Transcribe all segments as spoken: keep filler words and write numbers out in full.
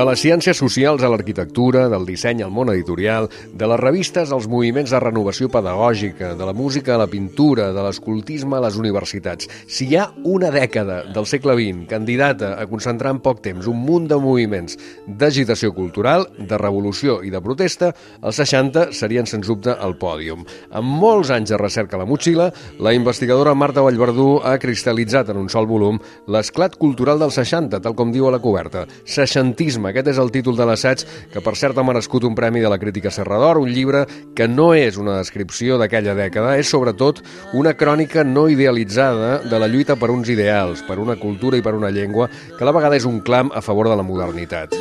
De les ciències socials a l'arquitectura, del disseny al món editorial, de les revistes als moviments de renovació pedagògica, de la música a la pintura, de l'escoltisme a les universitats. Si hi ha una dècada del segle vint candidata a concentrar en poc temps un munt de moviments d'agitació cultural, de revolució i de protesta, els seixanta serien sens dubte al pòdium. Amb molts anys de recerca a la motxilla, la investigadora Marta Vallverdú ha cristal·litzat en un sol volum l'esclat cultural dels seixanta, tal com diu a la coberta. Seixantisme, aquest és el títol de l'assaig, que per cert ha merescut un premi de la crítica Serra d'Or, un llibre que no és una descripció d'aquella dècada, és sobretot una crònica no idealitzada de la lluita per uns ideals, per una cultura i per una llengua, que a la vegada és un clam a favor de la modernitat.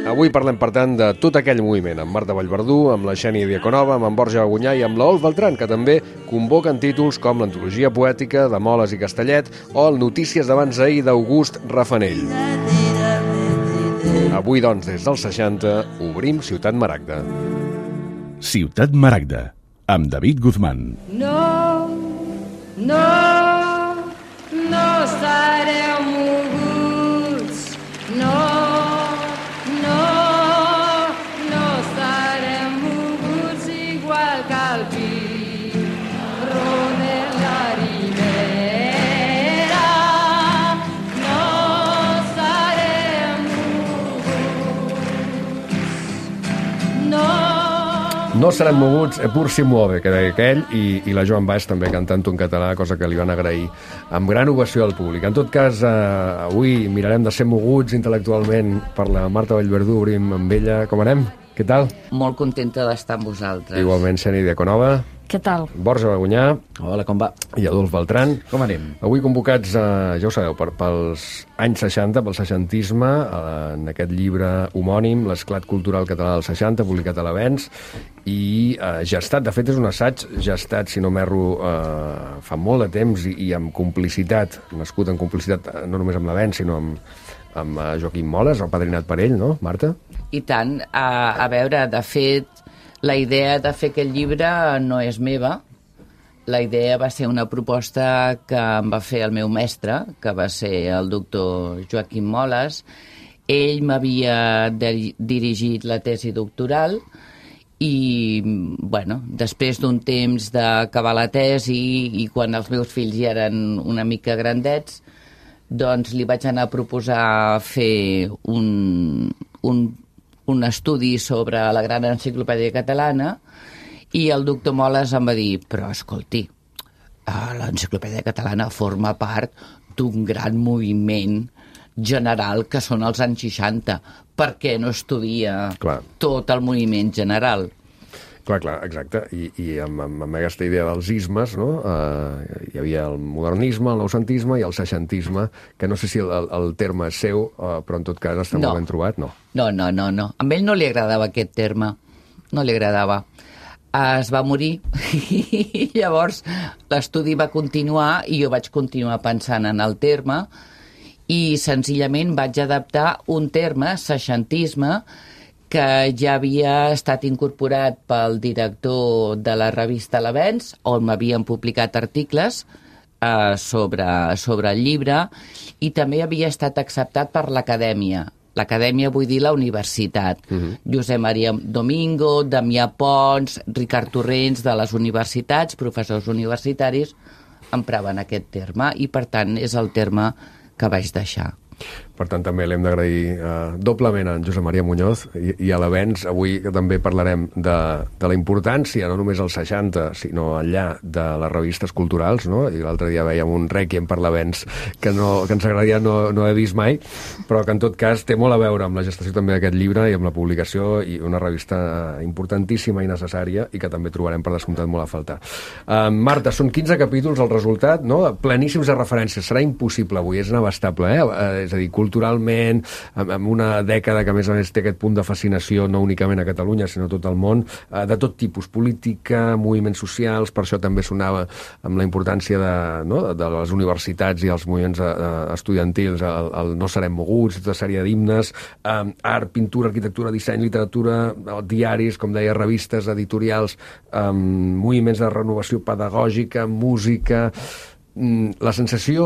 Avui parlem, per tant, de tot aquell moviment, amb Marta Vallverdú, amb la Xènia Diaconova, amb en Borja Agunyà i amb l'Olf Beltran, que també convoquen títols com l'Antologia Poètica de Moles i Castellet o el Notícies d'abans ahir d'August Rafanell. Avui, doncs, des dels seixanta, obrim Ciutat Maragda. Ciutat Maragda, amb David Guzmán. No, no, no estareu moguts, no. No serem moguts, e pur si muove, que deia aquell, i, i la Joan Baix també cantant un català, cosa que li van agrair amb gran ovació al públic. En tot cas, eh, avui mirarem de ser moguts intel·lectualment per la Marta Vallverdú, obrim amb ella. Com anem? Què tal? Molt contenta d'estar amb vosaltres. Igualment, Xènia Diaconova. Què tal? Borja Agunyà. Hola, com va? I Adolf Beltran. Com anem? Avui convocats, eh, ja ho sabeu, per, pels anys seixanta, pel seixantisme, eh, en aquest llibre homònim, l'esclat cultural català dels seixanta, publicat a l'Avenç, i eh, gestat, de fet és un assaig gestat, si no m'erro, eh, fa molt de temps i, i amb complicitat, nascut en complicitat no només amb l'Avenç, sinó amb, amb uh, Joaquim Moles, el padrinat per ell, no, Marta? I tant. A, a veure, de fet, la idea de fer aquest llibre no és meva. La idea va ser una proposta que em va fer el meu mestre, que va ser el doctor Joaquim Moles. Ell m'havia dirigit la tesi doctoral i, bueno, després d'un temps d'acabar la tesi i quan els meus fills ja eren una mica grandets, doncs li vaig anar a proposar fer un, un, un estudi sobre la gran enciclopèdia catalana i el doctor Moles em va dir, però escolti, l'enciclopèdia catalana forma part d'un gran moviment general que són els anys seixanta. Per què no estudia clar. Tot el moviment general? Clar, clar, exacte. I, i amb, amb, amb aquesta idea dels ismes, no? Uh, hi havia el modernisme, el noucentisme i el seixantisme, que no sé si el, el terme és seu, uh, però en tot cas està no. molt ben trobat, no? No, no, no, no. A ell no li agradava aquest terme. No li agradava. Es va morir i llavors l'estudi va continuar i jo vaig continuar pensant en el terme i senzillament vaig adaptar un terme, seixantisme, que ja havia estat incorporat pel director de la revista L'Avenç, on m'havien publicat articles eh, sobre, sobre el llibre, i també havia estat acceptat per l'Acadèmia. L'Acadèmia vull dir la universitat. Uh-huh. Josep Maria Domingo, Damià Pons, Ricard Torrents, de les universitats, professors universitaris, empraven aquest terme, i per tant és el terme que vaig deixar. Per tant, també l'hem d'agrair eh, doblement a en Josep Maria Muñoz i, i a l'Avenç. Avui també parlarem de, de la importància, no només als seixanta, sinó enllà de les revistes culturals, no? I l'altre dia veiem un rèquiem per l'Avenç que, no, que ens agradaria no, no haver vist mai, però que en tot cas té molt a veure amb la gestació també d'aquest llibre i amb la publicació, i una revista importantíssima i necessària i que també trobarem per descomptat molt a faltar. Uh, Marta, són quinze capítols el resultat, no? Pleníssims de referències. Serà impossible avui, és inabastable, eh? Uh, és a dir, cultura culturalment, amb, amb una dècada que a més a més té aquest punt de fascinació no únicament a Catalunya, sinó a tot el món, eh, de tot tipus, política, moviments socials, per això també sonava amb la importància de, no, de les universitats i els moviments eh, estudiantils, el, el No serem moguts, tota sèrie d'himnes, eh, art, pintura, arquitectura, disseny, literatura, diaris, com deia, revistes, editorials, eh, moviments de renovació pedagògica, música... La sensació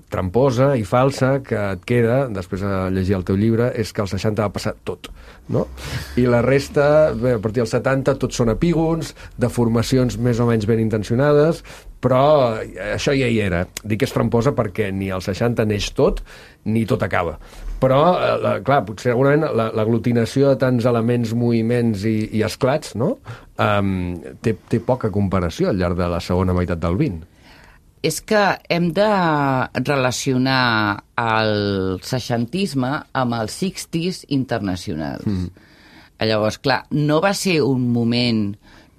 tramposa i falsa que et queda, després de llegir el teu llibre, és que als seixanta va passar tot, no? I la resta, bé, a partir dels setanta, tots són epígons, de formacions més o menys ben intencionades, però això ja hi era. Dic que és tramposa perquè ni als seixanta neix tot, ni tot acaba. Però, eh, clar, potser segurament l'aglutinació de tants elements, moviments i, i esclats, no? Um, té, té poca comparació al llarg de la segona meitat del vint. És que hem de relacionar el seixantisme amb els seixantis internacionals. Mm. Llavors, clar, no va ser un moment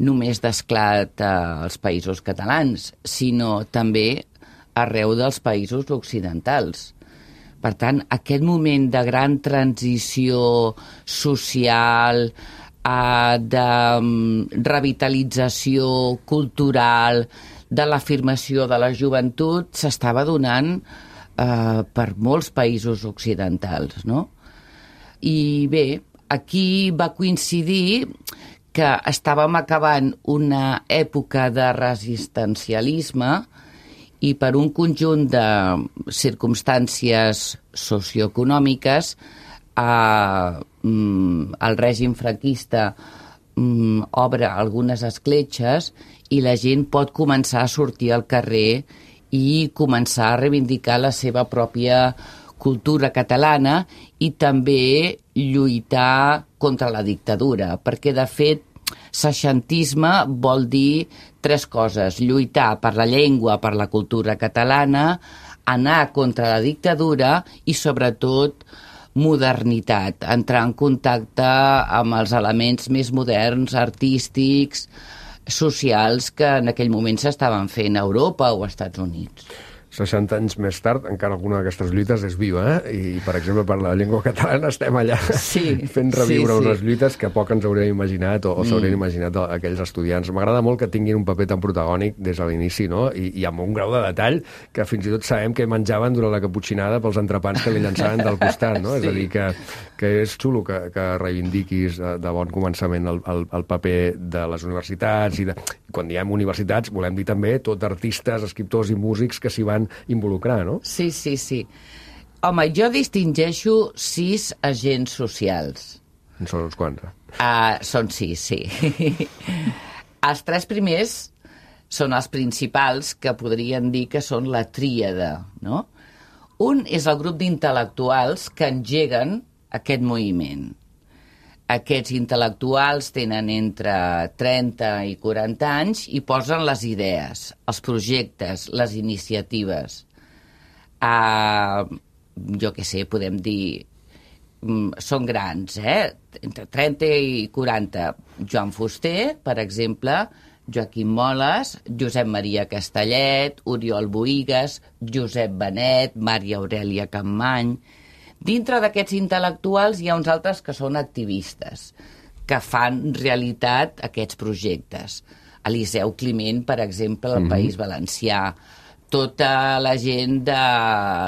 només d'esclat als països catalans, sinó també arreu dels països occidentals. Per tant, aquest moment de gran transició social, de revitalització cultural, de l'afirmació de la joventut, s'estava donant eh, per molts països occidentals, no? I bé, aquí va coincidir que estàvem acabant una època de resistencialisme i per un conjunt de circumstàncies socioeconòmiques eh, el règim franquista mm, obre algunes escletxes i la gent pot començar a sortir al carrer i començar a reivindicar la seva pròpia cultura catalana i també lluitar contra la dictadura, perquè de fet seixantisme vol dir tres coses: lluitar per la llengua, per la cultura catalana, anar contra la dictadura i sobretot modernitat, entrar en contacte amb els elements més moderns, artístics, socials que en aquell moment s'estaven fent a Europa o als Estats Units. seixanta anys més tard, encara alguna d'aquestes lluites és viva, eh? I, per exemple, per la llengua catalana estem allà sí, fent reviure sí, sí. unes lluites que poc ens hauríem imaginat o, o s'haurien mm. imaginat aquells estudiants. M'agrada molt que tinguin un paper tan protagònic des de l'inici, no? I, i amb un grau de detall que fins i tot sabem que menjaven durant la caputxinada pels entrepans que li llançaven del costat, no? Sí. És a dir, que, que és xulo que, que reivindiquis de, de bon començament el, el, el paper de les universitats i de, quan diem universitats volem dir també tot artistes, escriptors i músics que s'hi van involucrar, no? Sí, sí, sí. Home, jo distingeixo sis agents socials. En són uns quants, eh? Uh, són sis, sí. Els tres primers són els principals, que podrien dir que són la tríada, no? Un és el grup d'intel·lectuals que engeguen aquest moviment. Aquests intel·lectuals tenen entre trenta i quaranta anys i posen les idees, els projectes, les iniciatives. Uh, jo què sé, podem dir... Mm, són grans, eh? Entre trenta i quaranta. Joan Fuster, per exemple, Joaquim Moles, Josep Maria Castellet, Oriol Bohigas, Josep Benet, Maria Aurèlia Campmany... Dintre d'aquests intel·lectuals hi ha uns altres que són activistes, que fan realitat aquests projectes. Eliseu Climent, per exemple, al mm-hmm. País Valencià, tota la gent de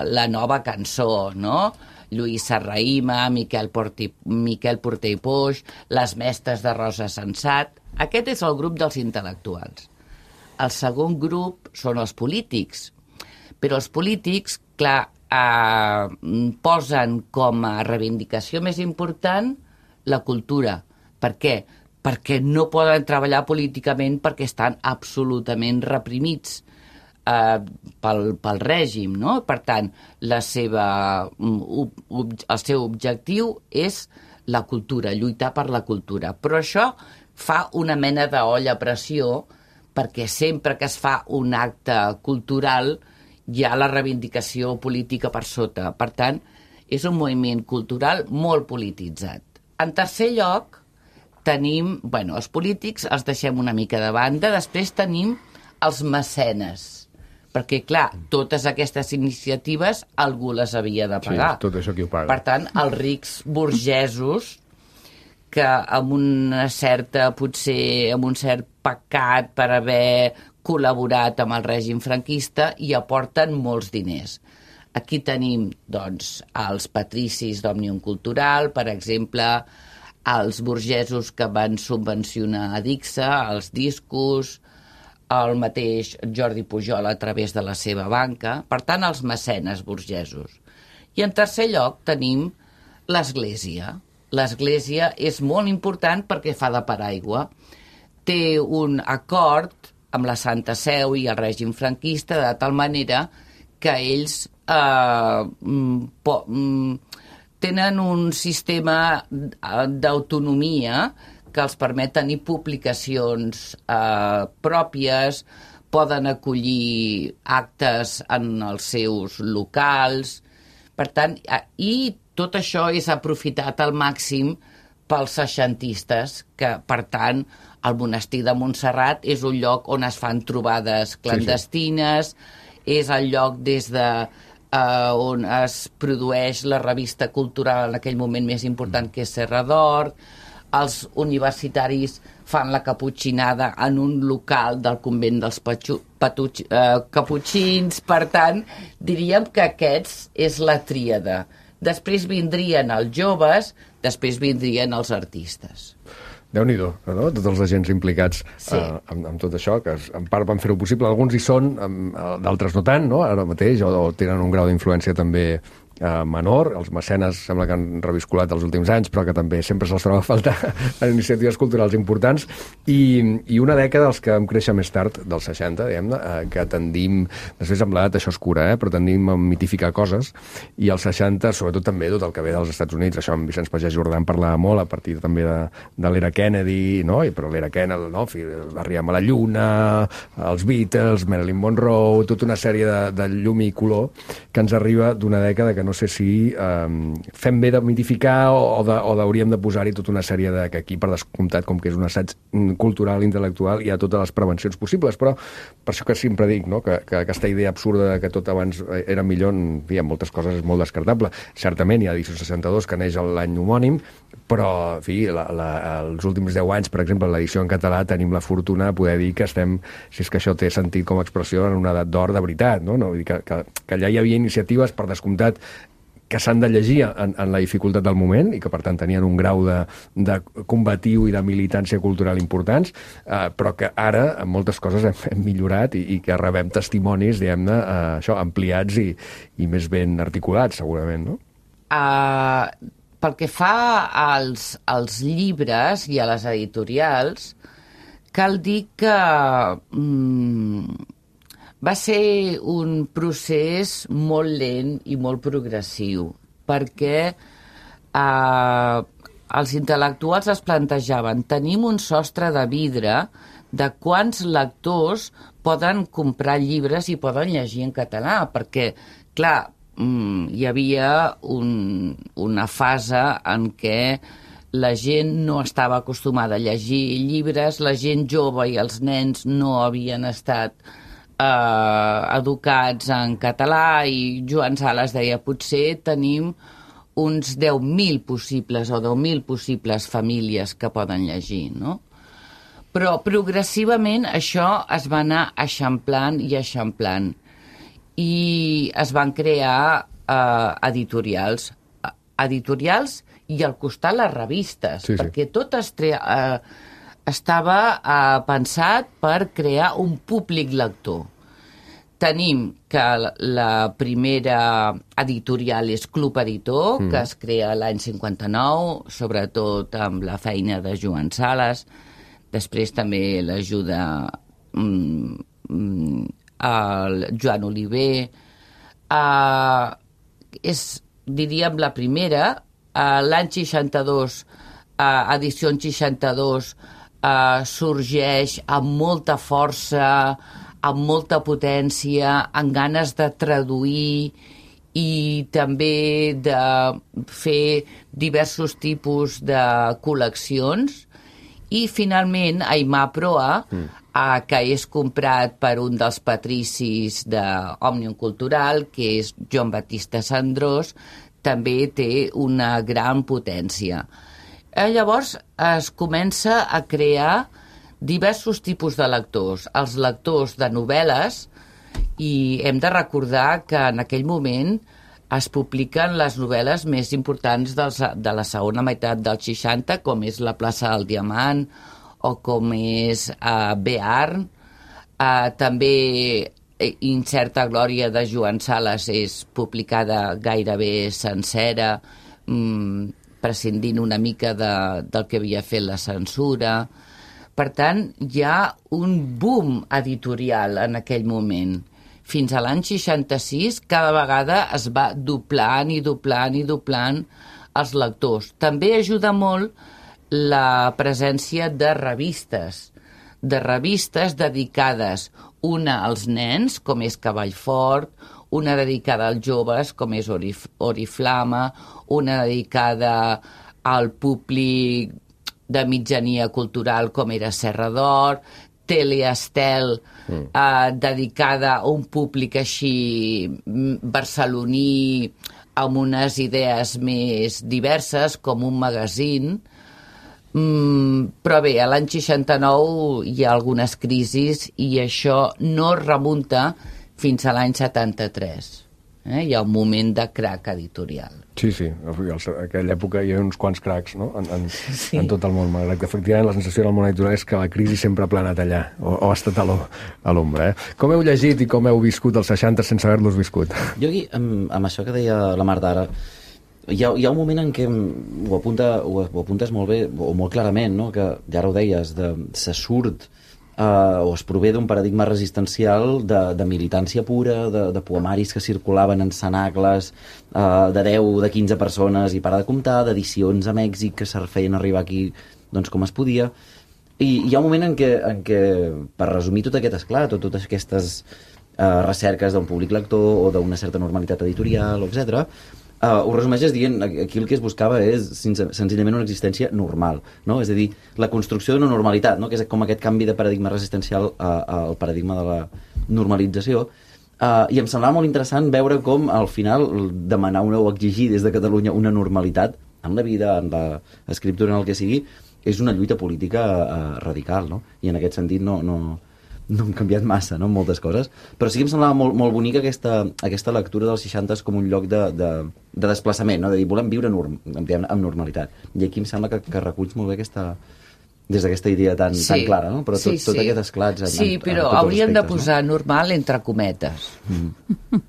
la nova cançó, no? Lluís Serrahima, Miquel, Porti, Miquel Porter i Poix, les mestres de Rosa Sensat... Aquest és el grup dels intel·lectuals. El segon grup són els polítics, però els polítics, clar, eh, posen com a reivindicació més important la cultura. Per què? Perquè no poden treballar políticament perquè estan absolutament reprimits eh, pel, pel règim, no? Per tant, la seva, el seu objectiu és la cultura, lluitar per la cultura. Però això fa una mena d'olla a pressió perquè sempre que es fa un acte cultural hi ha la reivindicació política per sota. Per tant, és un moviment cultural molt polititzat. En tercer lloc, tenim, bueno, els polítics els deixem una mica de banda, després tenim els mecenes. perquè, clar, totes aquestes iniciatives algú les havia de pagar. Sí, tot això qui ho paga. Per tant, els rics burgesos, que amb una certa, potser, amb un cert pecat per haver col·laborat amb el règim franquista, hi aporten molts diners. Aquí tenim, doncs, els patricis d'Òmnium Cultural, per exemple, els burgesos que van subvencionar a Dixa, els discos, el mateix Jordi Pujol a través de la seva banca, per tant, els mecenes burgesos. I en tercer lloc tenim l'Església. L'Església és molt important perquè fa de paraigua. Té un acord amb la Santa Seu i el règim franquista de tal manera que ells eh, po, tenen un sistema d'autonomia que els permet tenir publicacions eh, pròpies, poden acollir actes en els seus locals. Per tant, i tot això és aprofitat al màxim pels seixantistes, que, per tant, el monestir de Montserrat és un lloc on es fan trobades clandestines, sí, sí. És el lloc des de uh, on es produeix la revista cultural en aquell moment més important, que és Serra d'Or. Els universitaris fan la caputxinada en un local del convent dels patxu, patuig, uh, caputxins. Per tant, diríem que aquests és la tríada. Després vindrien els joves, després vindrien els artistes. Déu-n'hi-do, no? Tots els agents implicats sí. eh, amb, amb tot això, que en part van fer-ho possible. Alguns hi són, d'altres no tant, no? Ara mateix, o, o tenen un grau d'influència també eh, menor. Els mecenes sembla que han reviscolat els últims anys, però que també sempre se'ls troba a faltar en iniciatives culturals importants. I, i una dècada dels que vam créixer més tard, dels seixanta, diguem-ne, eh, que tendim, després amb l'edat això és cura, eh, però tendim a mitificar coses, i als seixanta, sobretot també tot el que ve dels Estats Units, això amb Vicenç Pagès Jordà en parlava molt, a partir també de, de l'era Kennedy, no? I però l'era Kennedy, no? Arribem a la Lluna, els Beatles, Marilyn Monroe, tota una sèrie de, de llum i color que ens arriba d'una dècada que no sé si eh, fem bé de mitificar o, o, de, o hauríem de posar-hi tota una sèrie de... que aquí, per descomptat, com que és un assaig cultural, intel·lectual, hi ha totes les prevencions possibles, però per això que sempre dic, no? que, que aquesta idea absurda que tot abans era millor, en fi, en moltes coses és molt descartable. Certament hi ha edició seixanta-dos, que neix l'any homònim, però, en fi, la, la, els últims deu anys, per exemple, l'edició en català, tenim la fortuna de poder dir que estem, si és que això té sentit com a expressió, en una edat d'or de veritat, no? No? Vull dir que, que, que allà hi havia iniciatives, per descomptat, que s'han de llegir en, en la dificultat del moment i que, per tant, tenien un grau de, de combatiu i de militància cultural importants, eh, però que ara, en moltes coses, hem, hem millorat i, i que rebem testimonis, diguem-ne, eh, això, ampliats i, i més ben articulats, segurament, no? Uh, pel que fa als, als llibres i a les editorials, cal dir que mm, va ser un procés molt lent i molt progressiu, perquè eh, els intel·lectuals es plantejaven: tenim un sostre de vidre de quants lectors poden comprar llibres i poden llegir en català, perquè, clar, hi havia un, una fase en què la gent no estava acostumada a llegir llibres, la gent jove i els nens no havien estat eh, educats en català, i Joan Sales deia: potser tenim uns deu mil possibles o deu mil possibles famílies que poden llegir, no? Però progressivament això es va anar eixamplant i eixamplant, i es van crear eh, editorials, editorials i al costat les revistes, sí, sí. perquè tot es tre... eh, estava eh, pensat per crear un públic lector. Tenim que la primera editorial és Club Editor, mm. que es crea l'any cinquanta-nou, sobretot amb la feina de Joan Sales. Després també l'ajuda mm, mm, el Joan Oliver. Uh, és, diríem, la primera. Uh, l'any seixanta-dos, uh, edició seixanta-dos, uh, sorgeix amb molta força, amb molta potència, amb ganes de traduir i també de fer diversos tipus de col·leccions. I finalment Aimar Proa, mm. eh, que és comprat per un dels patricis d'Òmnium Cultural, que és Joan Batista Sandrós, també té una gran potència. Eh, llavors es comença a crear diversos tipus de lectors. Els lectors de novel·les, i hem de recordar que en aquell moment es publiquen les novel·les més importants dels, de la segona meitat dels seixanta, com és La plaça del Diamant o com és uh, Bearn. Uh, també Incerta glòria de Joan Sales és publicada gairebé sencera, um, prescindint una mica de, del que havia fet la censura. Per tant, hi ha un boom editorial en aquell moment. Fins a l'any seixanta-sis, cada vegada es va doblant i doblant i doblant els lectors. També ajuda molt la presència de revistes, de revistes dedicades, una als nens, com és Cavallfort, una dedicada als joves, com és Orif Oriflama, una dedicada al públic de mitjania cultural, com era Serra d'Or, Teleestel, mm. eh, dedicada a un públic així barceloní, amb unes idees més diverses, com un magazín. Mm, però bé, a l'any seixanta-nou hi ha algunes crisis i això no remunta fins a l'any setanta-tres. Eh? Hi ha un moment de crac editorial. Sí, sí, en aquella època hi ha uns quants cracs, no? en, en, sí. en tot el món, malgrat que efectivament la sensació del món editorial és que la crisi sempre ha planat allà, o, o ha estat a l'ombra. Eh? Com heu llegit i com heu viscut els seixanta sense haver-los viscut? Jo aquí, amb, amb això que deia la Marta ara, hi ha, hi ha un moment en què ho, apunta, ho, ho apuntes molt bé, o molt clarament, no? Que ja ara ho deies, de, se surt Uh, o es prové d'un paradigma resistencial de, de militància pura, de, de poemaris que circulaven en cenacles uh, de deu, de quinze persones i para de comptar, d'edicions a Mèxic que se feien arribar aquí doncs, com es podia. I hi ha un moment en què, en què per resumir tot aquest esclat o totes aquestes uh, recerques d'un públic lector o d'una certa normalitat editorial, etcètera, Uh, ho resumeixes dient, aquí el que es buscava és senzillament una existència normal, no? És a dir, la construcció d'una normalitat, no? Que és com aquest canvi de paradigma resistencial uh, al paradigma de la normalització. Uh, I em semblava molt interessant veure com al final demanar una, o exigir des de Catalunya una normalitat en la vida, en l'escriptura, en el que sigui, és una lluita política uh, radical, no? I en aquest sentit no... no no han canviat massa, no?, moltes coses, però sí que em semblava molt, molt bonica aquesta, aquesta lectura dels seixanta com un lloc de, de, de desplaçament, no?, de dir, volem viure norm, amb normalitat. I aquí em sembla que, que reculls molt bé aquesta, des d'aquesta idea tan, sí, tan clara, no?, però tot, sí, sí. tot aquest esclats... En, sí, en, però en hauríem aspectes, de posar no? normal entre cometes. Mm.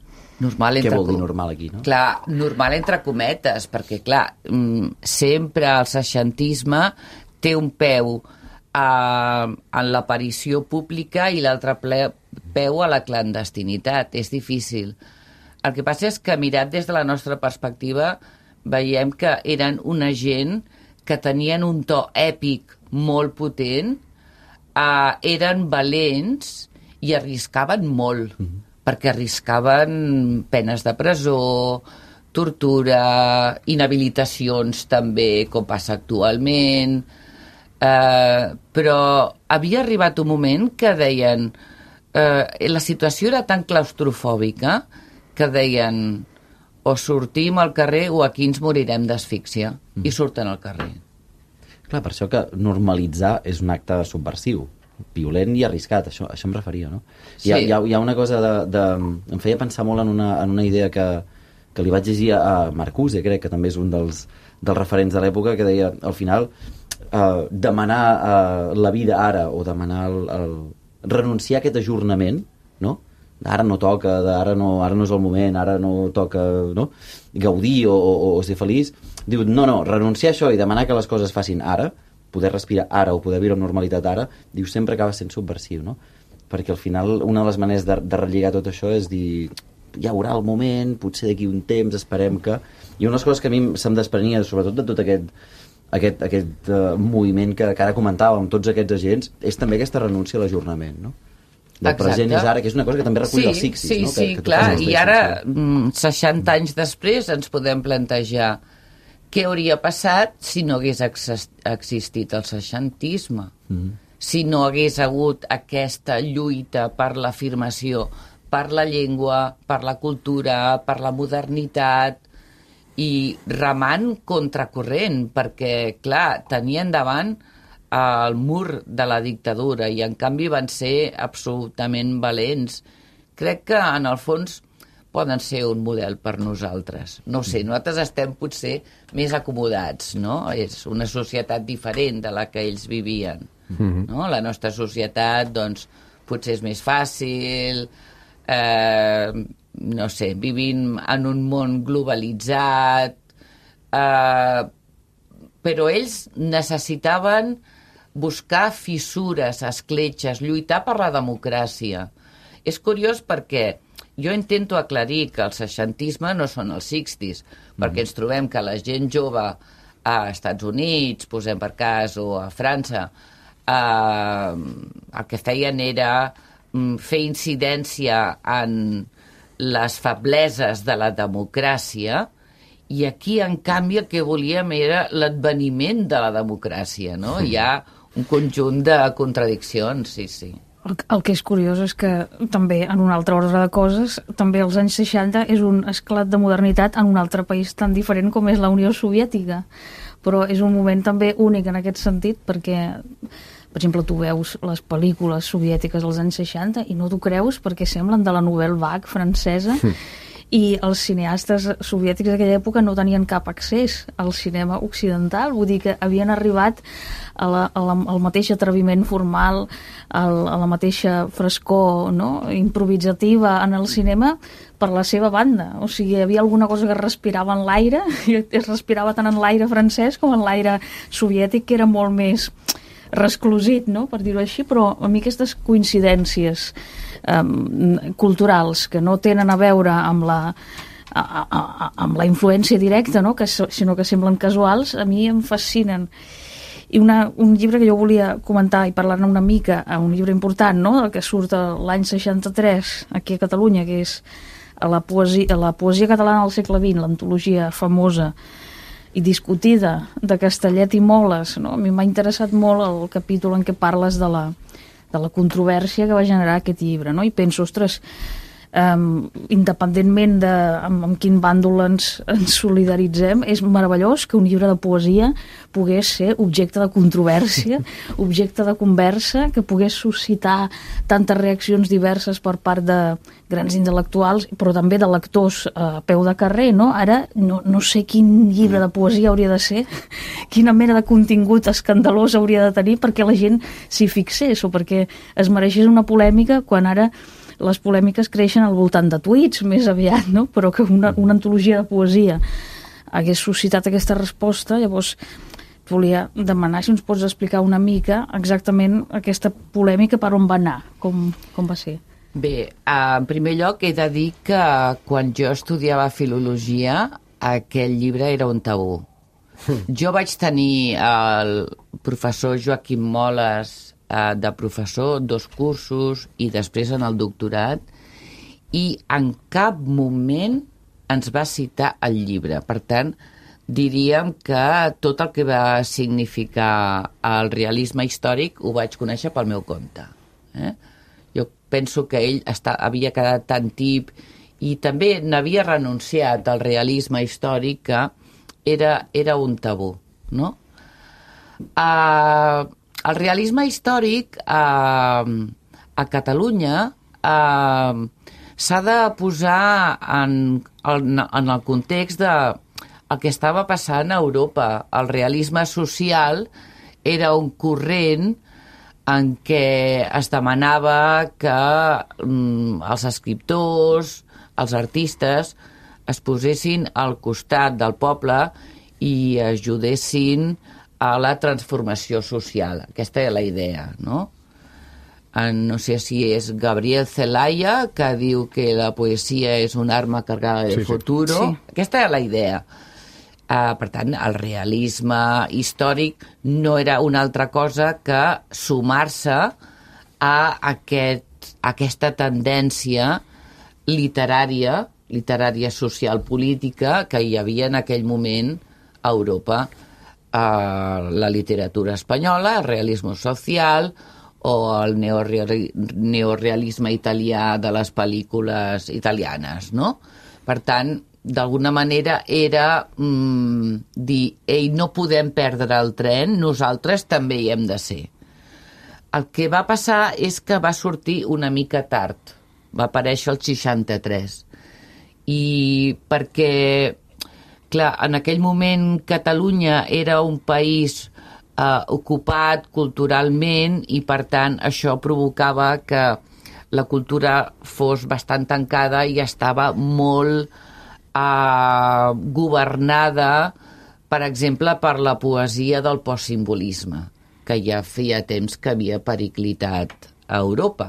Normal entre... Què vol dir normal aquí, no? Clar, normal entre cometes, perquè, clar, sempre el seixantisme té un peu Uh, en l'aparició pública i l'altre peu a la clandestinitat. És difícil. El que passa és que, mirat des de la nostra perspectiva, veiem que eren una gent que tenien un to èpic molt potent, uh, eren valents i arriscaven molt, mm-hmm. perquè arriscaven penes de presó, tortura, inhabilitacions també, com passa actualment... Uh, però havia arribat un moment que deien uh, la situació era tan claustrofòbica que deien o sortim al carrer o aquí ens morirem d'asfíxia, mm. i surten al carrer. Clar, per això que normalitzar és un acte subversiu, violent i arriscat, això, això em referia, no? Sí. Hi, ha, hi, ha, hi ha una cosa de, de... Em feia pensar molt en una, en una idea que, que li vaig llegir a Marcuse, crec que també és un dels, dels referents de l'època, que deia, al final... Uh, demanar uh, la vida ara o demanar el, el... renunciar a aquest ajornament, no? Ara no toca, ara no, ara no és el moment, ara no toca, no? Gaudir o, o, o ser feliç. Diu, no, no, renunciar a això i demanar que les coses facin ara, poder respirar ara o poder viure amb normalitat ara, diu, sempre acaba sent subversiu, no? Perquè al final una de les maneres de, de relligar tot això és dir, hi haurà el moment, potser d'aquí un temps, esperem que... I una de les coses que a mi se'm desprenia, sobretot de tot aquest aquest, aquest uh, moviment que, que ara comentàvem, tots aquests agents, és també aquesta renúncia a l'ajornament, no? Del Exacte. Present és ara, que és una cosa que també recull sí, els Sixis, sí, no? Sí, que, que clar, i ara, seixanta anys després, ens podem plantejar què hauria passat si no hagués existit el seixantisme, mm. si no hagués hagut aquesta lluita per l'afirmació, per la llengua, per la cultura, per la modernitat, i remant contracorrent, perquè, clar, tenien davant el mur de la dictadura i, en canvi, van ser absolutament valents. Crec que, en el fons, poden ser un model per nosaltres. No ho sé, nosaltres estem potser més acomodats, no? És una societat diferent de la que ells vivien, mm-hmm. no? La nostra societat, doncs, potser és més fàcil, eh, no sé, vivim en un món globalitzat, eh, però ells necessitaven buscar fissures, escletxes, lluitar per la democràcia. És curiós perquè jo intento aclarir que el seixantisme no són els seixantis, mm. perquè ens trobem que la gent jove a Estats Units, posem per cas, o a França, eh, el que feien era fer incidència en les febleses de la democràcia, i aquí, en canvi, el que volíem era l'adveniment de la democràcia, no? Mm. Hi ha un conjunt de contradiccions, sí, sí. El, el que és curiós és que també, en un altre ordre de coses, també els anys seixanta és un esclat de modernitat en un altre país tan diferent com és la Unió Soviètica. Però és un moment també únic en aquest sentit, perquè, per exemple, tu veus les pel·lícules soviètiques dels anys seixanta i no t'ho creus perquè semblen de la Nouvelle Vague francesa, i els cineastes soviètics d'aquella època no tenien cap accés al cinema occidental, vull dir que havien arribat a la, a la, al mateix atreviment formal, al, a la mateixa frescor, no?, improvisativa en el cinema per la seva banda. O sigui, hi havia alguna cosa que respirava en l'aire, i es respirava tant en l'aire francès com en l'aire soviètic, que era molt més resclosit, no?, per dir-ho així, però a mi aquestes coincidències um, culturals que no tenen a veure amb la, a, a, a, amb la influència directa, no?, que, sinó que semblen casuals, a mi em fascinen. I una, un llibre que jo volia comentar i parlar-ne una mica, un llibre important, no?, el que surt l'any seixanta-tres aquí a Catalunya, que és la poesia, la poesia catalana del segle vint, l'antologia famosa i discutida de Castellet i Moles, no? A mi m'ha interessat molt el capítol en què parles de la, de la controvèrsia que va generar aquest llibre, no? I penso, ostres, um, independentment de amb, amb quin bàndol ens, ens solidaritzem, és meravellós que un llibre de poesia pogués ser objecte de controvèrsia, objecte de conversa, que pogués suscitar tantes reaccions diverses per part de grans intel·lectuals, però també de lectors a peu de carrer, no? Ara no, no sé quin llibre de poesia hauria de ser, quina mena de contingut escandalós hauria de tenir perquè la gent s'hi fixés o perquè es mereixés una polèmica, quan ara les polèmiques creixen al voltant de tuits més aviat, no? Però que una, una antologia de poesia hagués suscitat aquesta resposta. Llavors volia demanar si ens pots explicar una mica exactament aquesta polèmica, per on va anar, com, com va ser. Bé, en primer lloc he de dir que quan jo estudiava filologia aquell llibre era un tabú. Jo vaig tenir el professor Joaquim Moles de professor, dos cursos i després en el doctorat, i en cap moment ens va citar el llibre. Per tant, diríem que tot el que va significar el realisme històric ho vaig conèixer pel meu compte. Eh? Jo penso que ell està, havia quedat tan tip i també n'havia renunciat al realisme històric, que era, era un tabú, no? Uh, el realisme històric uh, a Catalunya uh, s'ha de posar en, en, en el context de el que estava passant a Europa. El realisme social era un corrent en què es demanava que mm, els escriptors, els artistes, es posessin al costat del poble i ajudessin a la transformació social. Aquesta és la idea, no? En, no sé si és Gabriel Zelaya, que diu que la poesia és una arma cargada de sí, futuro. Sí. Aquesta és la idea. Uh, per tant, el realisme històric no era una altra cosa que sumar-se a, aquest, a aquesta tendència literària, literària social política que hi havia en aquell moment a Europa. Uh, la literatura espanyola, el realisme social o el neoreali neorealisme italià de les pel·lícules italianes, no? Per tant, d'alguna manera era mm, dir, ei, no podem perdre el tren, nosaltres també hi hem de ser. El que va passar és que va sortir una mica tard, va aparèixer el seixanta-tres, i perquè, clar, en aquell moment Catalunya era un país eh, ocupat culturalment i, per tant, això provocava que la cultura fos bastant tancada i estava molt Uh, governada, per exemple, per la poesia del postsimbolisme, que ja feia temps que havia periclitat a Europa.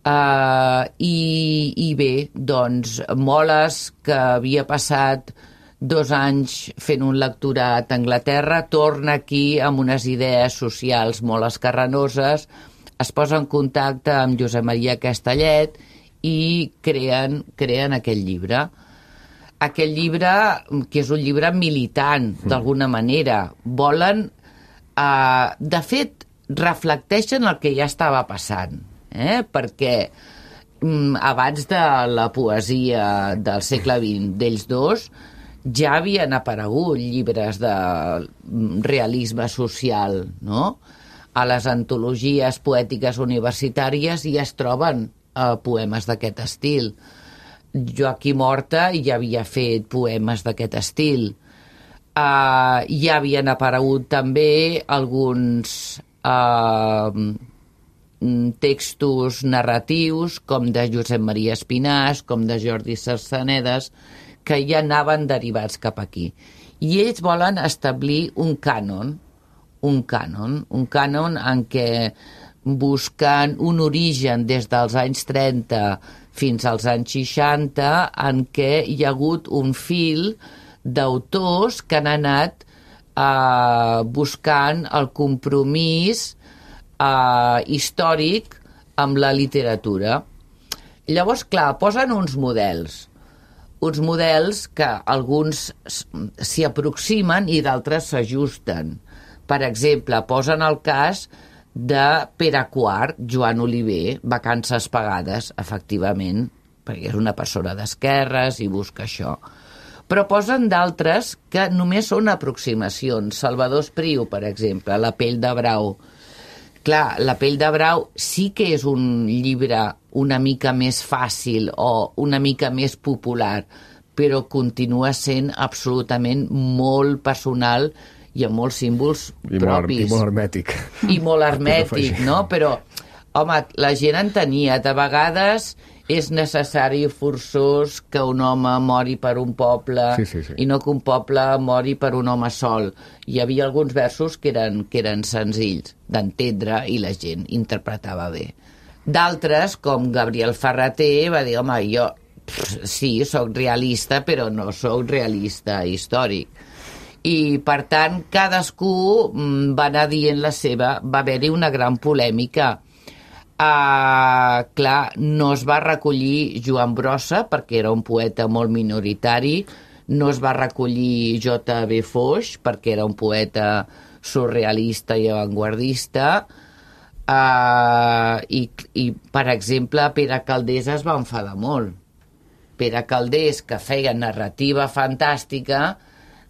Uh, i, I bé, doncs, Moles, que havia passat dos anys fent un lectorat a Anglaterra, torna aquí amb unes idees socials molt escarranoses, es posa en contacte amb Josep Maria Castellet i creen, creen aquest llibre. Aquell llibre, que és un llibre militant, d'alguna manera. Volen... Eh, de fet, reflecteixen el que ja estava passant, eh? Perquè mm, abans de la poesia del segle vint d'ells dos ja havien aparegut llibres de realisme social, no? A les antologies poètiques universitàries ja es troben eh, poemes d'aquest estil. Joaquim Horta ja havia fet poemes d'aquest estil. Uh, ja havien aparegut també alguns uh, textos narratius, com de Josep Maria Espinàs, com de Jordi Sarsanedes, que ja anaven derivats cap aquí. I ells volen establir un cànon, un cànon, un cànon en què busquen un origen des dels anys trenta fins als anys seixanta, en què hi ha hagut un fil d'autors que han anat eh, buscant el compromís eh, històric amb la literatura. Llavors, clar, posen uns models, uns models que alguns s'hi aproximen i d'altres s'ajusten. Per exemple, posen el cas de Pere quart, Joan Oliver, Vacances pagades, efectivament, perquè és una persona d'esquerres i busca això. Però posen d'altres que només són aproximacions. Salvador Espriu, per exemple, La pell de brau. Clar, La pell de brau sí que és un llibre una mica més fàcil o una mica més popular, però continua sent absolutament molt personal i amb molts símbols I propis. Molt, I molt hermètic. I molt hermètic, no? Però, home, la gent entenia. De vegades és necessari i forçós que un home mori per un poble sí, sí, sí. i no que un poble mori per un home sol. Hi havia alguns versos que eren, que eren senzills d'entendre i la gent interpretava bé. D'altres, com Gabriel Ferrater, va dir, home, jo pff, sí, sóc realista, però no sóc realista històric. I, per tant, cadascú va anar dient la seva. Va haver-hi una gran polèmica. Uh, clar, no es va recollir Joan Brossa, perquè era un poeta molt minoritari, no es va recollir J B Foix, perquè era un poeta surrealista i avantguardista, uh, i, i, per exemple, Pere Calders es va enfadar molt. Pere Calders, que feia narrativa fantàstica,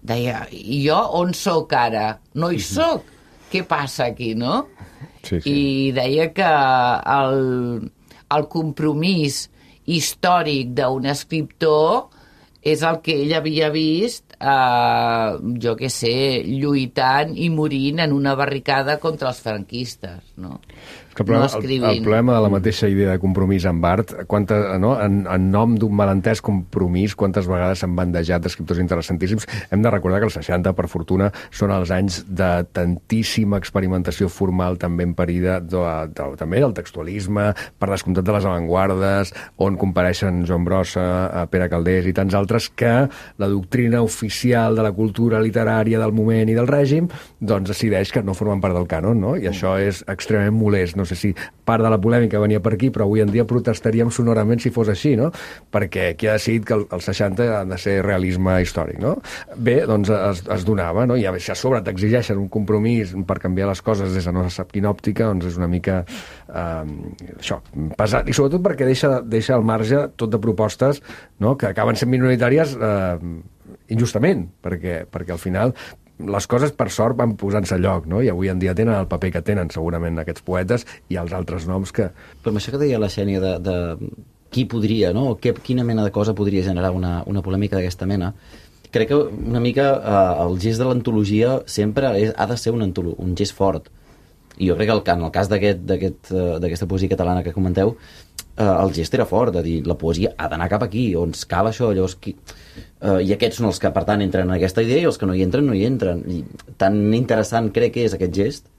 deia, jo on sóc ara? No hi sóc. Què passa aquí, no? Sí, sí. I deia que el, el compromís històric d'un escriptor és el que ell havia vist, eh, jo què sé, lluitant i morint en una barricada contra els franquistes, no? Que el, problema, no el, el problema de la mateixa idea de compromís amb art, quanta, no? en, en nom d'un malentès compromís, quantes vegades s'han bandejat d'escriptors interessantíssims. Hem de recordar que els seixanta, per fortuna, són els anys de tantíssima experimentació formal, també en perida, de, de, també del textualisme, per descomptat de les avantguardes, on compareixen Joan Brossa, Pere Calders i tants altres, que la doctrina oficial de la cultura literària del moment i del règim doncs decideix que no formen part del cànon, no? I això és extremament molest. No no sé si part de la polèmica venia per aquí, però avui en dia protestaríem sonorament si fos així, no? Perquè qui ha decidit que els seixanta han de ser realisme històric, no? Bé, doncs es, es donava, no? I a sobre t'exigeixen un compromís per canviar les coses des de no se sap quina òptica, doncs és una mica eh, això, pesat, i sobretot perquè deixa, deixa al marge tot de propostes, no? Que acaben sent minoritàries eh, injustament, perquè, perquè al final les coses, per sort, van posant-se a lloc, no? I avui en dia tenen el paper que tenen, segurament, aquests poetes i els altres noms que... Però amb això que deia la Xènia de, de qui podria, no? O que, quina mena de cosa podria generar una, una polèmica d'aquesta mena, crec que una mica eh, el gest de l'antologia sempre és, ha de ser un, antolo, un gest fort. I jo crec que el, en el cas d'aquesta aquest, aquest, poesia catalana que comenteu, eh, el gest era fort, de dir, la poesia ha d'anar cap aquí, on cal això, llavors... Qui... Uh, i aquests són els que, per tant, entren en aquesta idea i els que no hi entren, no hi entren. I tan interessant crec que és aquest gest,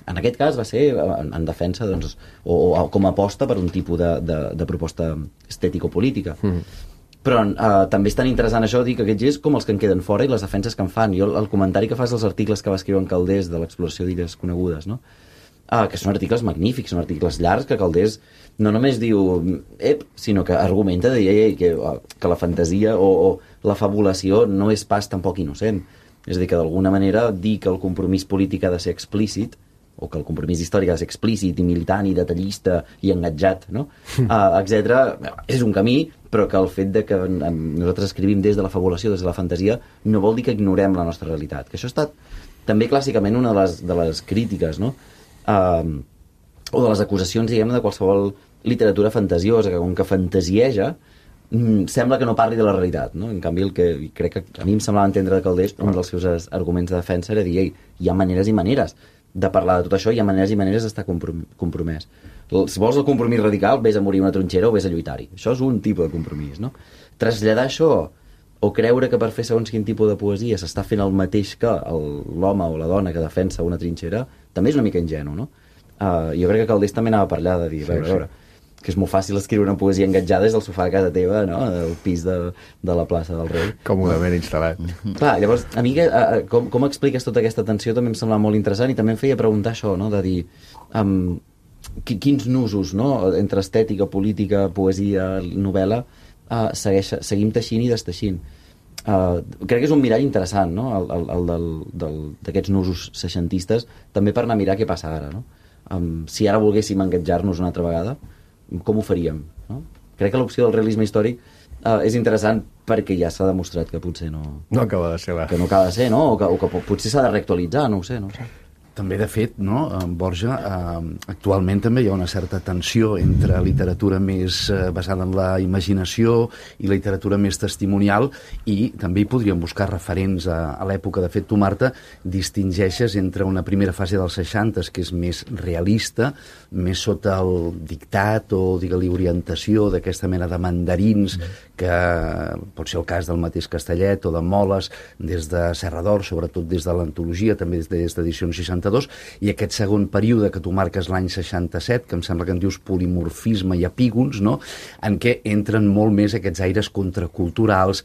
en aquest cas va ser en, en defensa, doncs, o, o com a aposta per un tipus de, de, de proposta estètico-política. Mm. Però uh, també és tan interessant això, dir que aquest gest com els que en queden fora i les defenses que en fan. Jo el comentari que fas dels articles que va escriure en Calders de l'exploració d'illes conegudes, no? Uh, que són articles magnífics, són articles llargs que Calders no només diu ep, sinó que argumenta de, ei, ei, que, que la fantasia o, o la fabulació no és pas tampoc innocent. És a dir, que d'alguna manera dir que el compromís polític ha de ser explícit, o que el compromís històric ha de ser explícit i militant i detallista i engatjat, no? uh, etcètera, és un camí, però que el fet de que nosaltres escrivim des de la fabulació, des de la fantasia, no vol dir que ignorem la nostra realitat. Que això ha estat també clàssicament una de les, de les crítiques, no? Uh, o de les acusacions, diguem, de qualsevol literatura fantasiosa, que com que fantasieja mm, sembla que no parli de la realitat, no? En canvi, el que crec que a mi em semblava entendre de Calders, un dels seus arguments de defensa era dir, ei, hi ha maneres i maneres de parlar de tot això, hi ha maneres i maneres d'estar comprom compromès. Si vols el compromís radical, vés a morir una trinxera o vés a lluitar-hi. Això és un tipus de compromís, no? Traslladar això o creure que per fer segons quin tipus de poesia s'està fent el mateix que l'home o la dona que defensa una trinxera, també és una mica ingenu, no? Uh, jo crec que Calders també anava per allà de dir, sí, veure, sí. veure, que és molt fàcil escriure una poesia engatjada des del sofà de casa teva, no? Del pis de, de la plaça del Rei. Còmodament instal·lat. Clar, llavors, a mi, uh, com, com expliques tota aquesta tensió també em semblava molt interessant i també em feia preguntar això, no? De dir, um, quins nusos, no? Entre estètica, política, poesia, novel·la, uh, segueix, seguim teixint i desteixint. Uh, crec que és un mirall interessant, no? El, el, el d'aquests nusos seixantistes, també per anar a mirar què passa ara, no? Um, si ara volguéssim engatjar-nos una altra vegada, com ho faríem, no? Crec que l'opció del realisme històric uh, és interessant perquè ja s'ha demostrat que potser no... No acaba de ser la... Que no acaba de ser, no? O que, o que potser s'ha de reactualitzar, no ho sé, no ho sé. També, de fet, no, en Borja, eh, actualment també hi ha una certa tensió entre literatura més eh, basada en la imaginació i literatura més testimonial, i també hi podríem buscar referents a, a l'època. De fet, tu, Marta, distingeixes entre una primera fase dels seixantes, que és més realista, més sota el dictat o, digue-li, orientació d'aquesta mena de mandarins, que pot ser el cas del mateix Castellet o de Moles, des de Serra d'Or, sobretot des de l'antologia, també des d'edicions seixanta-dos, i aquest segon període que tu marques l'any seixanta-set, que em sembla que en dius polimorfisme i epígons, no? En què entren molt més aquests aires contraculturals,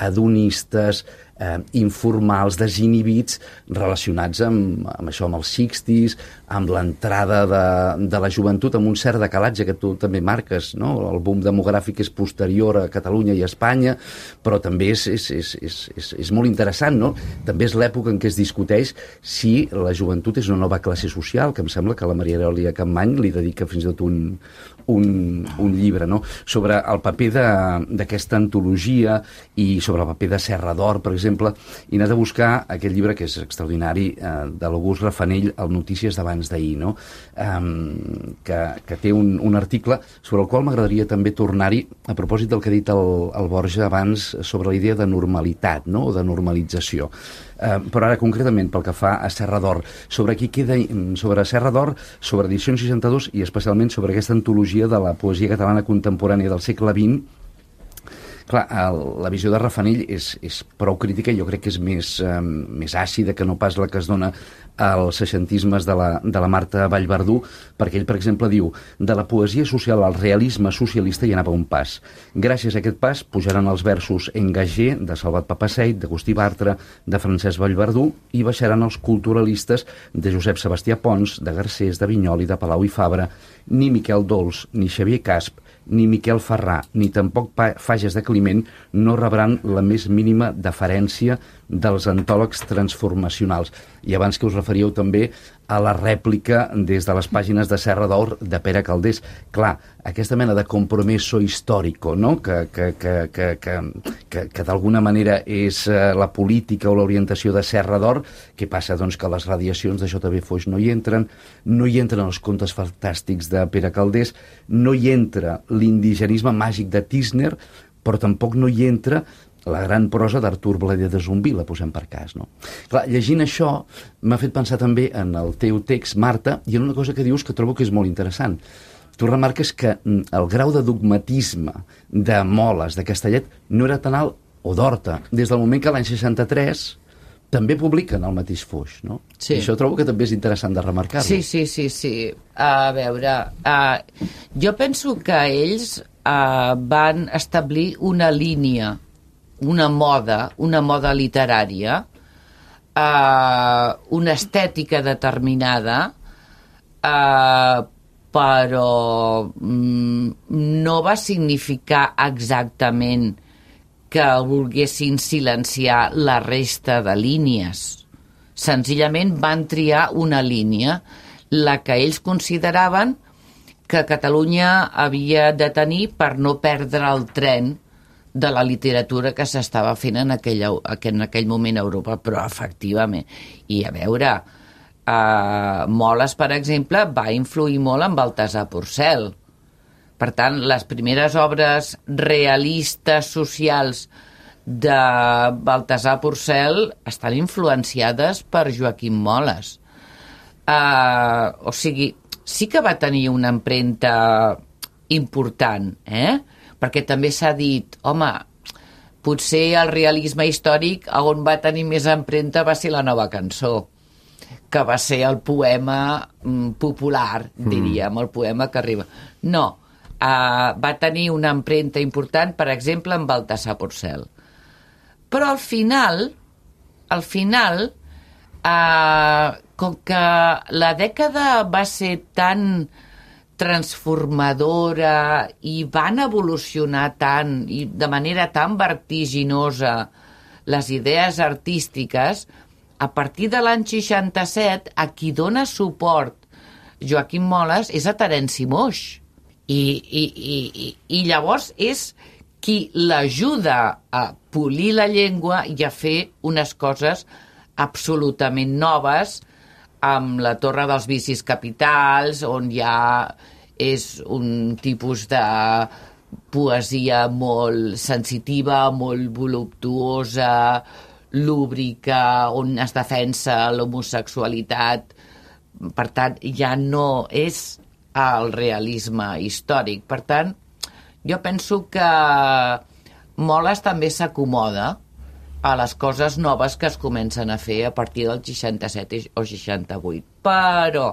hedonistes, eh, informals, desinhibits, relacionats amb, amb això, amb els seixantes, amb l'entrada de, de la joventut, amb un cert decalatge que tu també marques, no? El boom demogràfic és posterior a Catalunya i a Espanya, però també és, és, és, és, és, és molt interessant, no? També és l'època en què es discuteix si la joventut és una nova classe social, que em sembla que la Maria Aurelia Capmany li dedica fins i tot un, un, un llibre, no? Sobre el paper d'aquesta antologia i sobre el paper de Serra d'Or, per exemple, i anar a buscar aquest llibre que és extraordinari, eh, de l'August Rafanell, el Notícies d'abans d'ahir, no? Um, que, que té un, un article sobre el qual m'agradaria també tornar-hi a propòsit del que ha dit el, el Borja abans sobre la idea de normalitat, no? O de normalització. Uh, però ara concretament pel que fa a Serra d'Or, sobre qui queda, sobre Serra d'Or, sobre edicions seixanta-dos i especialment sobre aquesta antologia de la poesia catalana contemporània del segle vint, Clar, el, la visió de Raffanell és, és prou crítica i jo crec que és més, eh, més àcida que no pas la que es dona als seixantismes de la, de la Marta Vallverdú, perquè ell, per exemple, diu de la poesia social al realisme socialista hi anava un pas. Gràcies a aquest pas pujaran els versos Engagé, de Salvat Papasseit, d'Agustí Bartra, de Francesc Vallverdú, i baixaran els culturalistes de Josep Sebastià Pons, de Garcés, de Vinyoli, de Palau i Fabra. Ni Miquel Dols, ni Xavier Casp, ni Miquel Ferrà, ni tampoc Fages de Climent no rebran la més mínima deferència dels antòlegs transformacionals. I abans que us referíeu també a la rèplica des de les pàgines de Serra d'Or de Pere Calders. Clar, aquesta mena de compromiso històrico, no? que, que, que, que, que, que, que d'alguna manera és eh, la política o l'orientació de Serra d'Or, que passa doncs, que les radiacions de J B Foix no hi entren, no hi entren els contes fantàstics de Pere Calders, no hi entra l'indigenisme màgic de Tísner, però tampoc no hi entra la gran prosa d'Artur Blader de Zumbí, la posem per cas, no? Clar, llegint això m'ha fet pensar també en el teu text, Marta, i en una cosa que dius que trobo que és molt interessant. Tu remarques que el grau de dogmatisme de Moles, de Castellet, no era tan alt, o d'Horta, des del moment que l'any seixanta-tres també publiquen el mateix Foix, no? Sí. I això trobo que també és interessant de remarcar-lo. Sí, sí, sí, sí. A veure, uh, jo penso que ells uh, van establir una línia, una moda, una moda literària, uh, una estètica determinada, uh, però mm, no va significar exactament que volguessin silenciar la resta de línies. Senzillament van triar una línia, la que ells consideraven que Catalunya havia de tenir per no perdre el tren de la literatura que s'estava fent en aquell, en aquell moment a Europa, però efectivament. I a veure, eh, Moles, per exemple, va influir molt en Baltasar Porcel. Per tant, les primeres obres realistes socials de Baltasar Porcel estan influenciades per Joaquim Moles. Eh, o sigui, sí que va tenir una empremta important, eh? Perquè també s'ha dit, home, potser el realisme històric on va tenir més empremta va ser la Nova Cançó, que va ser el poema mm, popular, diríem, el poema que arriba. No, uh, va tenir una empremta important, per exemple, en Baltasar Porcel. Però al final, al final, uh, com que la dècada va ser tan transformadora i van evolucionar tant i de manera tan vertiginosa les idees artístiques, a partir de l'any seixanta-set a qui dona suport Joaquim Moles és a Terenci Moix i, i, i, i llavors és qui l'ajuda a polir la llengua i a fer unes coses absolutament noves, amb la Torre dels Vicis Capitals, on ja és un tipus de poesia molt sensitiva, molt voluptuosa, lúbrica, on es defensa l'homosexualitat. Per tant, ja no és el realisme històric. Per tant, jo penso que Moles també s'acomoda a les coses noves que es comencen a fer a partir del seixanta-set o seixanta-vuit. Però,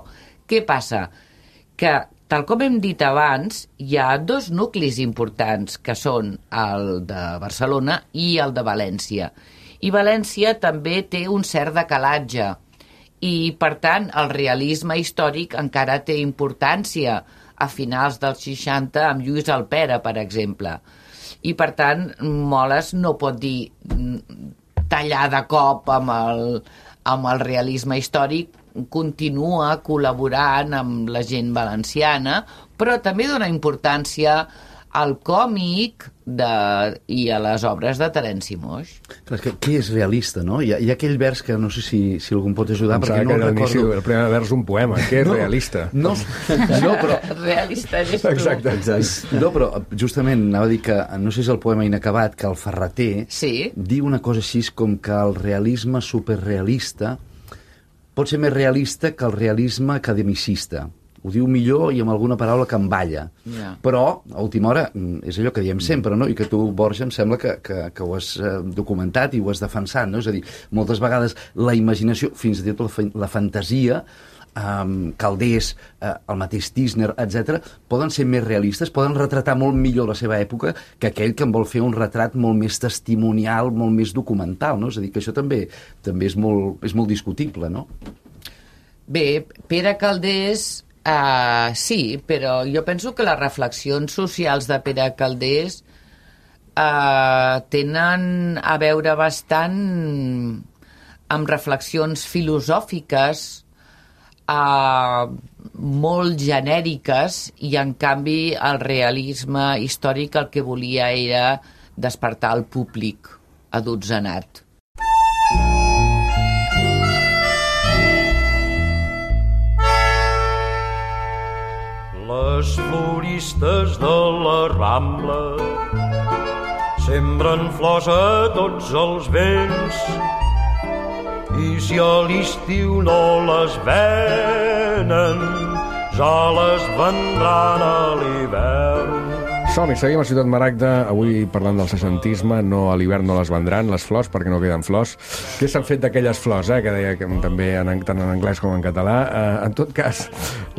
què passa? Que, tal com hem dit abans, hi ha dos nuclis importants, que són el de Barcelona i el de València. I València també té un cert decalatge. I, per tant, el realisme històric encara té importància a finals dels seixanta amb Lluís Alpera, per exemple. I, per tant, Moles no pot dir tallar de cop amb el, amb el realisme històric, continua col·laborant amb la gent valenciana, però també dona importància al còmic de, i a les obres de Terenci Moix. Clar, que, què és realista, no? Hi ha, hi ha aquell vers que no sé si, si algú em pot ajudar, perquè no el recordo. El primer vers un poema, què és no, realista? No, no, però... Realista és tu. Exacte, exacte. No, però justament anava a dir que, no sé si és el poema inacabat, que el Ferreter sí. diu una cosa així com que el realisme superrealista pot ser més realista que el realisme academicista. ho diu millor i amb alguna paraula que em balla. Yeah. Però, a última hora, és allò que diem sempre, no? I que tu, Borja, em sembla que, que, que ho has eh, documentat i ho has defensat, no? És a dir, moltes vegades la imaginació, fins i tot la, la fantasia, Um, Calders, uh, el mateix Tisner, etcètera, poden ser més realistes, poden retratar molt millor la seva època que aquell que en vol fer un retrat molt més testimonial, molt més documental, no? És a dir, que això també també és molt, és molt discutible, no? Bé, Pere Calders, uh, sí, però jo penso que les reflexions socials de Pere Calders uh, tenen a veure bastant amb reflexions filosòfiques Uh, molt genèriques, i en canvi el realisme històric el que volia era despertar el públic adotzenat. Les floristes de la Rambla sembren flors a tots els vents, i si a l'estiu no les venen, ja les vendran a l'hivern. Som-hi, seguim a Ciutat Maragda, avui parlant del seixantisme, no a l'hivern no les vendran, les flors, perquè no queden flors. Què s'han fet d'aquelles flors, eh? Que deia que també en, tant en anglès com en català. Eh, en tot cas,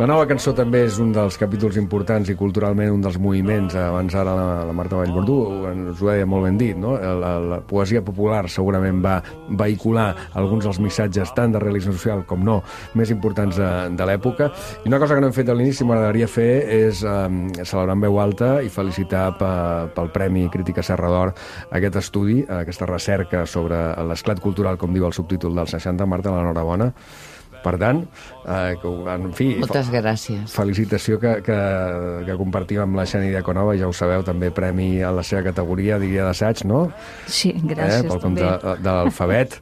la nova cançó també és un dels capítols importants i culturalment un dels moviments. Abans ara la, la Marta Vallverdú ens ho deia molt ben dit, no? La, la poesia popular segurament va vehicular alguns dels missatges tant de realisme social com no més importants de, de l'època. I una cosa que no hem fet a l'inici m'agradaria fer és eh, celebrar en veu alta i felicitar pel Premi Crítica Serra d'Or aquest estudi, aquesta recerca sobre l'esclat cultural, com diu el subtítol del seixanta. Marta, l'enhorabona. Per tant, eh, que, en fi... Moltes gràcies. Felicitació que, que, que compartim amb la Xeni Diaconova, ja ho sabeu, també premi a la seva categoria, diria d'assaig, no? Sí, gràcies, eh, pel també. de, de l'alfabet.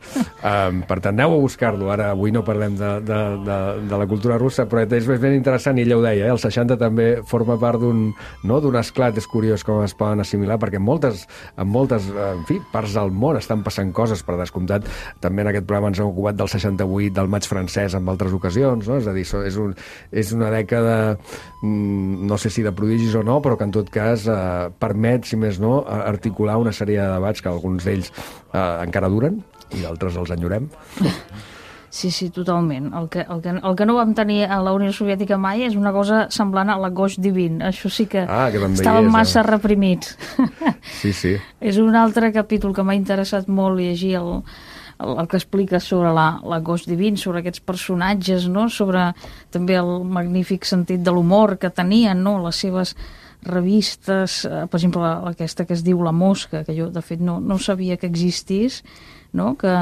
um, per tant, aneu a buscar-lo. Ara, avui no parlem de, de, de, de la cultura russa, però és ben interessant, i ella ho deia, eh? El seixanta també forma part d'un no, d'un esclat. És curiós com es poden assimilar, perquè en moltes, en moltes en fi, parts del món estan passant coses, per descomptat. També en aquest programa ens hem ocupat del seixanta-vuit, del maig francès, en altres ocasions, no? És a dir, és, un, és una dècada, no sé si de prodigis o no, però que en tot cas eh, permet, si més no, articular una sèrie de debats que alguns d'ells eh, encara duren i d'altres els enyorem. Sí, sí, totalment. El que, el, que, el que no vam tenir a la Unió Soviètica mai és una cosa semblant a la Goix Divin. Això sí que, ah, que estàvem és, massa eh? reprimits. Sí, sí. És un altre capítol que m'ha interessat molt llegir el, el, el que explica sobre la, la Goix Divin, sobre aquests personatges, no? Sobre també el magnífic sentit de l'humor que tenien, no? Les seves revistes, eh, per exemple, aquesta que es diu La Mosca, que jo, de fet, no, no sabia que existís, no? Que...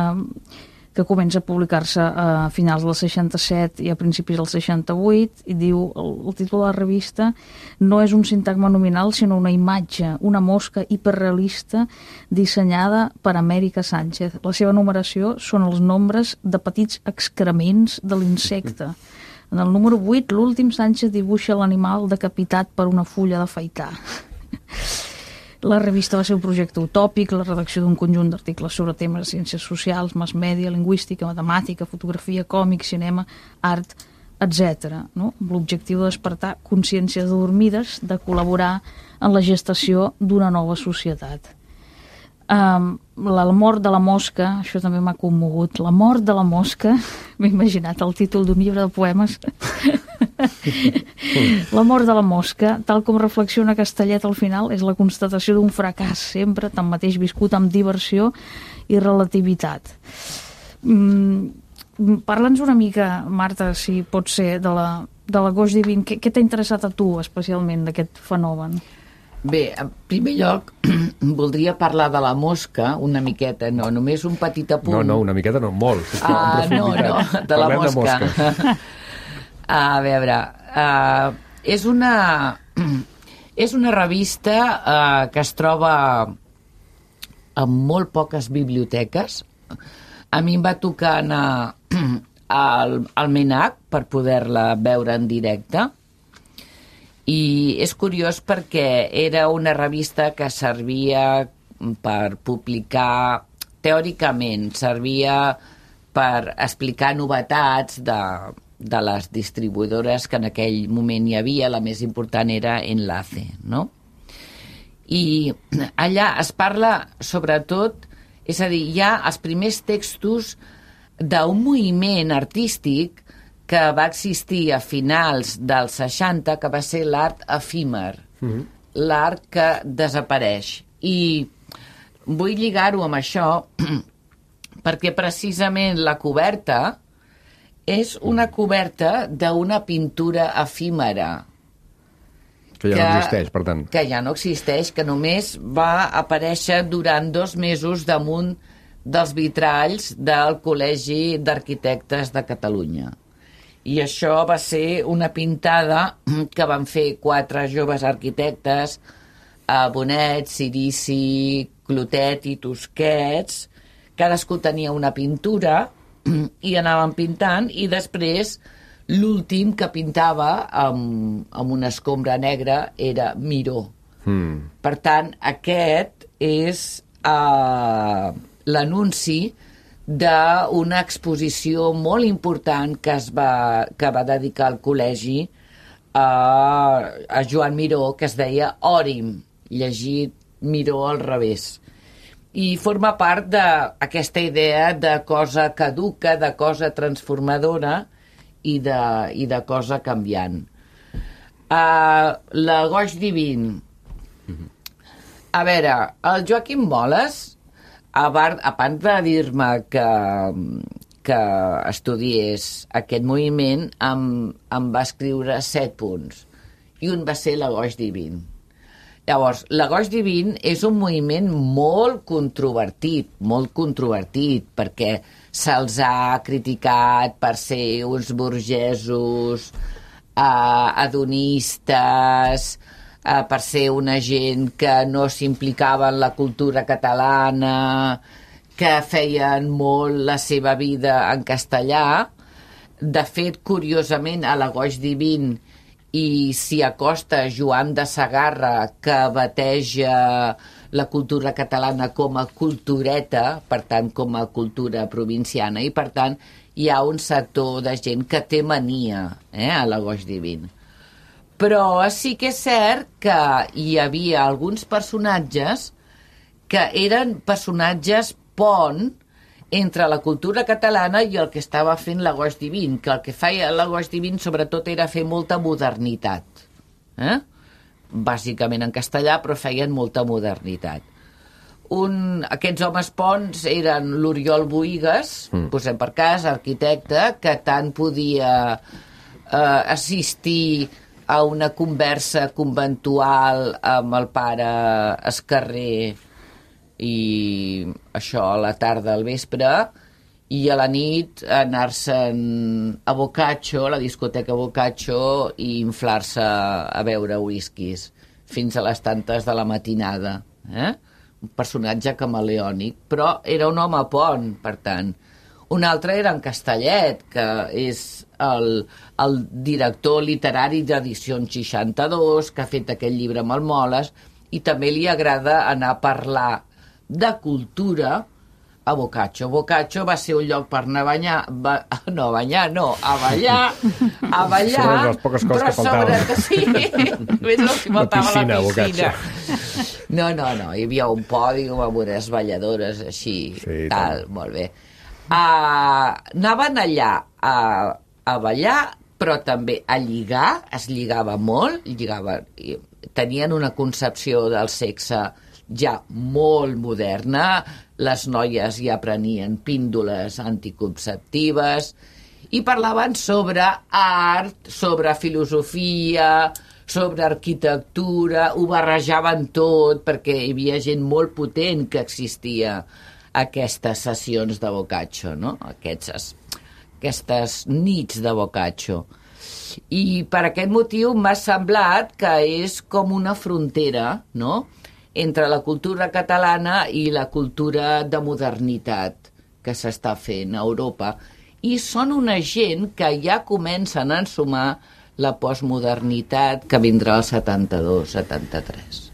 que comença a publicar-se a finals del seixanta-set i a principis del seixanta-vuit, i diu, el, el títol de la revista no és un sintagma nominal, sinó una imatge, una mosca hiperrealista dissenyada per Amèrica Sánchez. La seva numeració són els nombres de petits excrements de l'insecte. En el número vuit, l'últim, Sánchez dibuixa l'animal decapitat per una fulla d'afaitar. La revista va ser un projecte utòpic, la redacció d'un conjunt d'articles sobre temes de ciències socials, mass mèdia, lingüística, matemàtica, fotografia, còmic, cinema, art, etcètera, no? Amb l'objectiu de despertar consciències dormides, de col·laborar en la gestació d'una nova societat. Um, la mort de la mosca, això també m'ha commogut, la mort de la mosca, m'he imaginat el títol d'un llibre de poemes. La mort de la mosca, tal com reflexiona Castellet al final, és la constatació d'un fracàs sempre, tanmateix viscut amb diversió i relativitat. Mm, parla'ns una mica, Marta, si pot ser, de la, de la Goix Divin. Què, què t'ha interessat a tu especialment d'aquest fenomen? Bé, en primer lloc, voldria parlar de la mosca una miqueta, no, només un petit apunt. No, no, una miqueta no, molt. Ah, no, no, de la Parlem mosca. De mosca. A veure, uh, és una és una revista uh, que es troba en molt poques biblioteques. A mi em va tocar anar al, al MENAC per poder-la veure en directe. I és curiós perquè era una revista que servia per publicar, teòricament, servia per explicar novetats de, de les distribuïdores que en aquell moment hi havia, la més important era Enlace, no? I allà es parla, sobretot, és a dir, hi ha els primers textos d'un moviment artístic que va existir a finals dels seixanta, que va ser l'art efímer, mm-hmm. l'art que desapareix. I vull lligar-ho amb això perquè precisament la coberta és una coberta d'una pintura efímera. Que ja que, no existeix, per tant. Que ja no existeix, que només va aparèixer durant dos mesos damunt dels vitralls del Col·legi d'Arquitectes de Catalunya. I això va ser una pintada que van fer quatre joves arquitectes, Bonet, Cirici, Clotet i Tusquets. Cadascú tenia una pintura i anaven pintant, i després l'últim que pintava amb, amb una escombra negra era Miró. Mm. Per tant, aquest és uh, l'anunci d'una exposició molt important que es va, que va dedicar al col·legi a, a Joan Miró, que es deia Òrim, llegit Miró al revés. I forma part d'aquesta idea de cosa caduca, de cosa transformadora i de, i de cosa canviant. Uh, la Goix Divin. A veure, el Joaquim Moles, a part, a part de dir-me que, que estudiés aquest moviment, em, em va escriure set punts. I un va ser la Goix Divin. Llavors, la Goix Divin és un moviment molt controvertit, molt controvertit, perquè se'ls ha criticat per ser uns burgesos, eh, adonistes, eh, per ser una gent que no s'implicava en la cultura catalana, que feien molt la seva vida en castellà. De fet, curiosament, a la Goix Divin i s'hi acosta Joan de Sagarra, que bateja la cultura catalana com a cultureta, per tant, com a cultura provinciana, i per tant hi ha un sector de gent que té mania eh, a la Goix Divin. Però sí que és cert que hi havia alguns personatges que eren personatges pont entre la cultura catalana i el que estava fent la Goix Divin, que el que feia la Goix Divin sobretot era fer molta modernitat. Eh? Bàsicament en castellà, però feien molta modernitat. Un, aquests homes ponts eren l'Oriol Boïgues, mm. posem per cas, arquitecte, que tant podia eh, assistir a una conversa conventual amb el pare Escarrer i això a la tarda al vespre, i a la nit anar-se'n a Boccaccio, a la discoteca Boccaccio, i inflar-se a beure whiskies fins a les tantes de la matinada. Eh? Un personatge camaleònic, però era un home pont, per tant. Un altre era en Castellet, que és el, el director literari d'Edicions seixanta-dos, que ha fet aquest llibre amb el Moles, i també li agrada anar a parlar de cultura a Boccaccio. Boccaccio va ser un lloc per anar a banyar, va, no a banyar, no, a ballar, a ballar, sobre les poques coses però que faltaven. sobre que sí, només el que faltava la piscina, piscina. Boccaccio. No, no, no, hi havia un pòdium amb unes balladores així, Sí, tal, molt bé. Uh, anaven allà a, a ballar, però també a lligar, es lligava molt, lligaven, tenien una concepció del sexe ja molt moderna, les noies ja prenien píndoles anticonceptives i parlaven sobre art, sobre filosofia, sobre arquitectura, ho barrejaven tot perquè hi havia gent molt potent que existia a aquestes sessions de Boccaccio, no? Aquestes, aquestes nits de Boccaccio. I per aquest motiu m'ha semblat que és com una frontera, no?, entre la cultura catalana i la cultura de modernitat que s'està fent a Europa. I són una gent que ja comencen a ensumar la postmodernitat que vindrà al setanta-dos setanta-tres.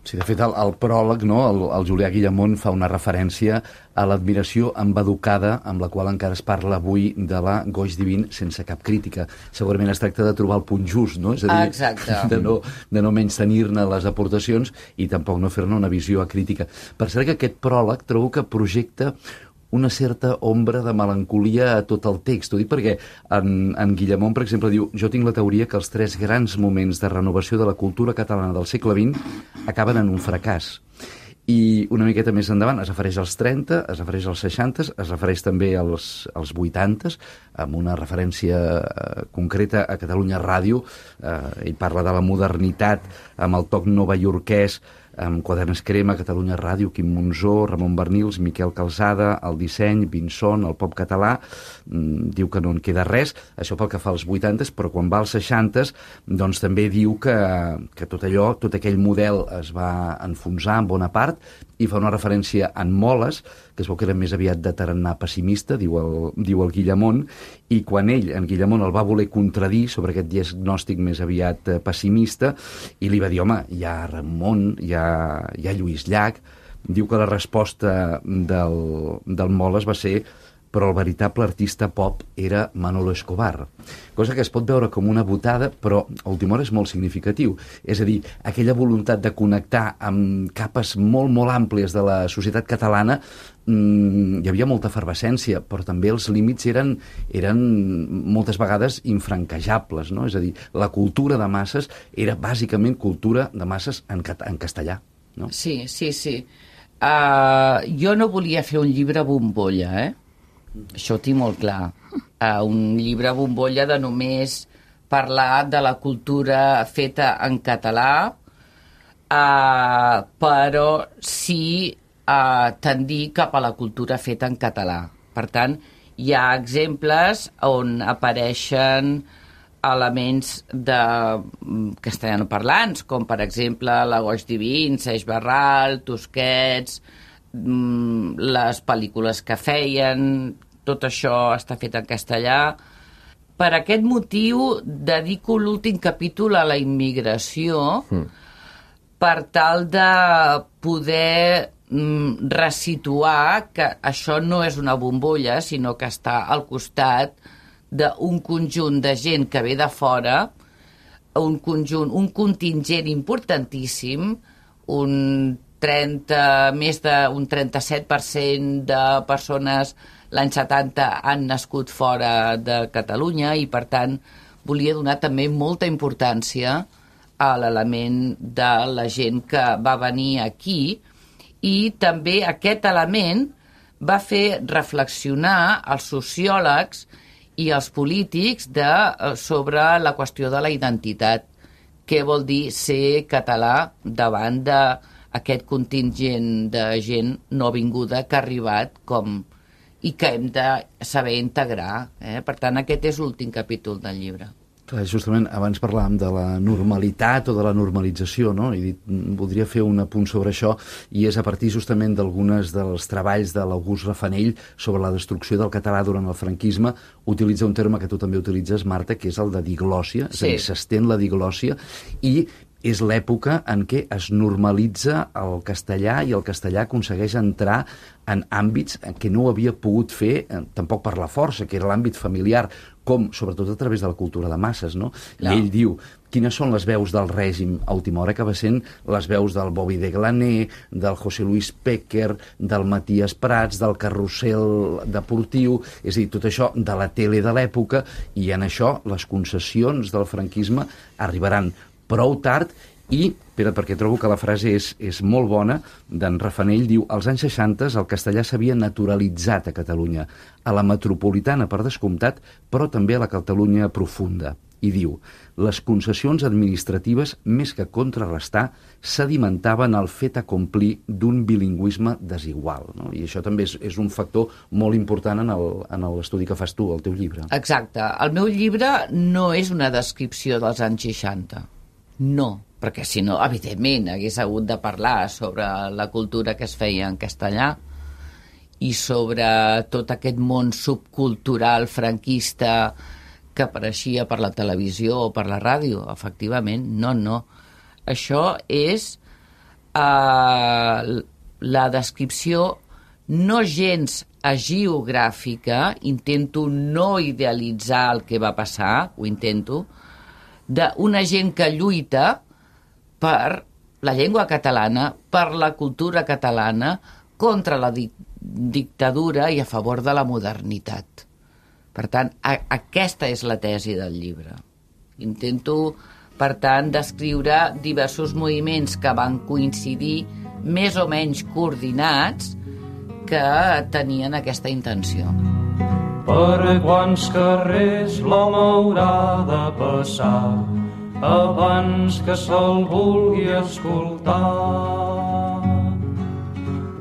Sí, de fet, el, el pròleg, no? el, el Julià Guillamont fa una referència a l'admiració embeducada amb la qual encara es parla avui de la Goix Divin sense cap crítica. Segurament es tracta de trobar el punt just, no? És a dir, exacte. de no, de no menys tenir-ne les aportacions i tampoc no fer-ne una visió acrítica. Per cert que aquest pròleg trobo que projecta una certa ombra de melancolia a tot el text. Ho dic perquè en, en Guillamont, per exemple, diu: jo tinc la teoria que els tres grans moments de renovació de la cultura catalana del segle vint acaben en un fracàs. I una miqueta més endavant es refereix als trenta, es refereix als seixanta, es refereix també als, als vuitanta, amb una referència eh, concreta a Catalunya Ràdio. Eh, ell parla de la modernitat amb el toc novaiorquès, amb Quaderns Crema, Catalunya Ràdio, Quim Monzó, Ramon Bernils, Miquel Calçada, el disseny, Vinson, el pop català. Mm, diu que no en queda res, això pel que fa als vuitanta, però quan va als seixanta, doncs també diu que, que tot allò, tot aquell model es va enfonsar en bona part, i fa una referència en Moles, que es veu que era més aviat de tarannà pessimista, diu el, diu el Guillamont, i quan ell, en Guillamont, el va voler contradir sobre aquest diagnòstic més aviat eh, pessimista, i li va dir: home, hi ha Ramon, hi ha, hi ha Lluís Llach. Diu que la resposta del, del Moles va ser: però el veritable artista pop era Manolo Escobar. Cosa que es pot veure com una botada, però a última hora és molt significatiu. És a dir, aquella voluntat de connectar amb capes molt, molt àmplies de la societat catalana, mmm, hi havia molta efervescència, però també els límits eren, eren moltes vegades infranquejables, no? És a dir, la cultura de masses era bàsicament cultura de masses en, cat en castellà, no? Sí, sí, sí. Uh, jo no volia fer un llibre bombolla, eh? Això ho tinc molt clar. Uh, un llibre bombolla de només parlar de la cultura feta en català, uh, però sí uh, tendir cap a la cultura feta en català. Per tant, hi ha exemples on apareixen elements de castellanoparlants, com per exemple la Goix Divin, Seix Barral, Tusquets, les pel·lícules que feien, tot això està fet en castellà. Per aquest motiu dedico l'últim capítol a la immigració, mm. per tal de poder mm, resituar que això no és una bombolla, sinó que està al costat d'un conjunt de gent que ve de fora, un conjunt, un contingent importantíssim, un trenta, més d'un trenta-set per cent de persones l'any setanta han nascut fora de Catalunya, i per tant volia donar també molta importància a l'element de la gent que va venir aquí, i també aquest element va fer reflexionar els sociòlegs i els polítics de, sobre la qüestió de la identitat. Què vol dir ser català davant d'aquest contingent de gent no vinguda que ha arribat com, i que hem de saber integrar. Eh? Per tant, aquest és l'últim capítol del llibre. Clar, justament abans parlàvem de la normalitat o de la normalització, no? I dit, voldria fer un apunt sobre això, i és a partir justament d'algunes dels treballs de l'August Rafanell sobre la destrucció del català durant el franquisme. Utilitza un terme que tu també utilitzes, Marta, que és el de diglòssia, sí. És a dir, s'estén la diglòssia, i és l'època en què es normalitza el castellà, i el castellà aconsegueix entrar en àmbits que no ho havia pogut fer, eh, tampoc per la força, que era l'àmbit familiar, com sobretot a través de la cultura de masses, no? Clar. I ell diu: quines són les veus del règim a última hora? Acaba sent les veus del Bobby de Glaner, del José Luis Péquer, del Matías Prats, del carrusel deportiu, és a dir, tot això de la tele de l'època, i en això les concessions del franquisme arribaran prou tard. I, espera, perquè trobo que la frase és, és molt bona, d'en Rafanell, diu: als anys seixanta el castellà s'havia naturalitzat a Catalunya, a la metropolitana per descomptat, però també a la Catalunya profunda. I diu: les concessions administratives, més que contrarrestar, sedimentaven el fet acomplir d'un bilingüisme desigual, no? I això també és, és un factor molt important en el, en l'estudi que fas tu, al teu llibre. Exacte. El meu llibre no és una descripció dels anys seixanta. No, perquè si no, evidentment, hagués hagut de parlar sobre la cultura que es feia en castellà i sobre tot aquest món subcultural franquista que apareixia per la televisió o per la ràdio. Efectivament, no, no. Això és uh, la descripció no gens agiogràfica, intento no idealitzar el que va passar, ho intento, d'una gent que lluita per la llengua catalana, per la cultura catalana, contra la di dictadura i a favor de la modernitat. Per tant, a aquesta és la tesi del llibre. Intento, per tant, descriure diversos moviments que van coincidir més o menys coordinats que tenien aquesta intenció. Per quants carrers l'home haurà de passar abans que se'l vulgui escoltar?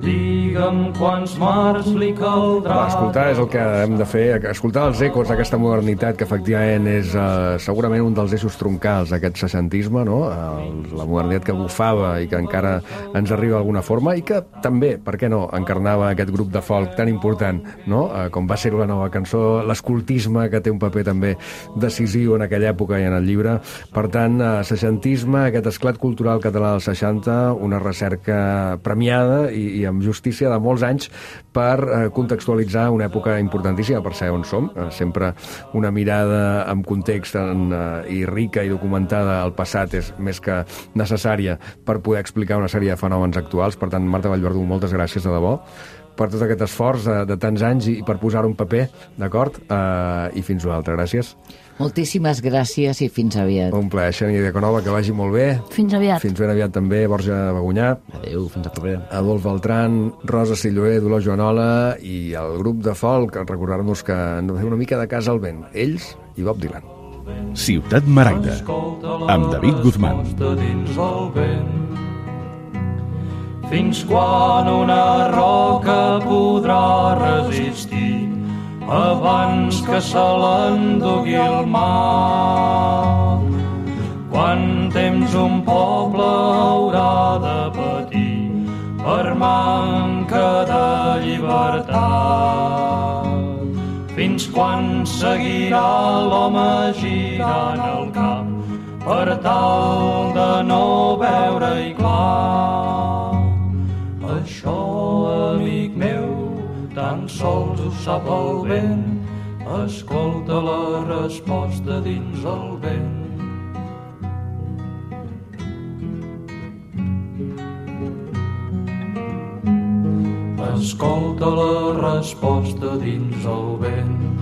Digue'm quants mars li caldrà... Va, escoltar és el que hem de fer, escoltar els ecos d'aquesta modernitat que efectivament és uh, segurament un dels eixos troncals d'aquest seixantisme, no? El, la modernitat que bufava i que encara ens arriba d'alguna forma i que també, per què no, encarnava aquest grup de folk tan important, no? Uh, com va ser la nova cançó, l'escoltisme, que té un paper també decisiu en aquella època i en el llibre. Per tant, uh, seixantisme, aquest esclat cultural català dels seixanta, una recerca premiada i, i amb justícia de molts anys per eh, contextualitzar una època importantíssima per saber on som. Eh, sempre una mirada amb context en, eh, i rica i documentada al passat és més que necessària per poder explicar una sèrie de fenòmens actuals. Per tant, Marta Vallverdú, moltes gràcies de debò per tot aquest esforç de, de tants anys i per posar un paper, d'acord? Eh, I fins una altra. Gràcies. Moltíssimes gràcies i fins aviat. Un plaer, Xènia Diaconova, que vagi molt bé. Fins aviat. Fins ben aviat també, Borja Bagunyà. Adéu, fins a propera. Adolf Beltran, Rosa Silloé, Dolors Joanola i el grup de folk, recordar-nos que han de fer una mica de casa al vent. Ells i Bob Dylan. Ciutat Maragda, amb David Guzmán. Fins quan una roca podrà resistir abans que se l'endugui el mar? Quant temps un poble haurà de patir per manca de llibertat? Fins quan seguirà l'home girant el cap per tal de no veure-hi clar? Això, amic meu, tan sols ho sap el vent. Escolta la resposta dins el vent. Escolta la resposta dins el vent.